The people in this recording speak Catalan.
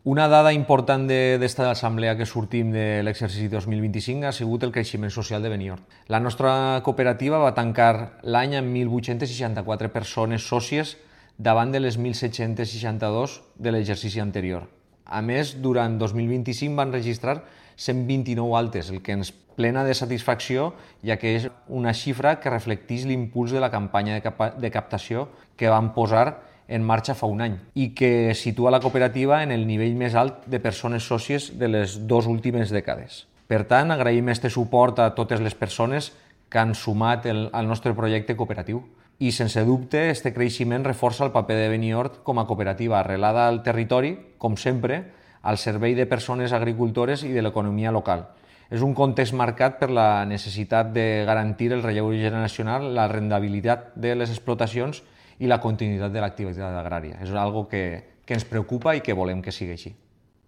Una dada important d'esta assemblea que sortim de l'exercici 2025 ha sigut el creixement social de Benidorm. La nostra cooperativa va tancar l'any amb 1.864 persones sòcies davant de les 1.762 de l'exercici anterior. A més, durant 2025 van registrar 129 altes, el que ens plena de satisfacció, ja que és una xifra que reflecteix l'impuls de la campanya de captació que vam posar en marxa fa un any i que situa la cooperativa en el nivell més alt de persones sòcies de les 2 últimes dècades. Per tant, agraïm este suport a totes les persones que han sumat al nostre projecte cooperatiu. I, sense dubte, este creixement reforça el paper de Benidorm com a cooperativa arrelada al territori, com sempre, al servei de persones agricultores i de l'economia local. És un context marcat per la necessitat de garantir el relleu generacional, la rendibilitat de les explotacions i la continuïtat de l'activitat agrària. És una cosa que ens preocupa i que volem que sigui així.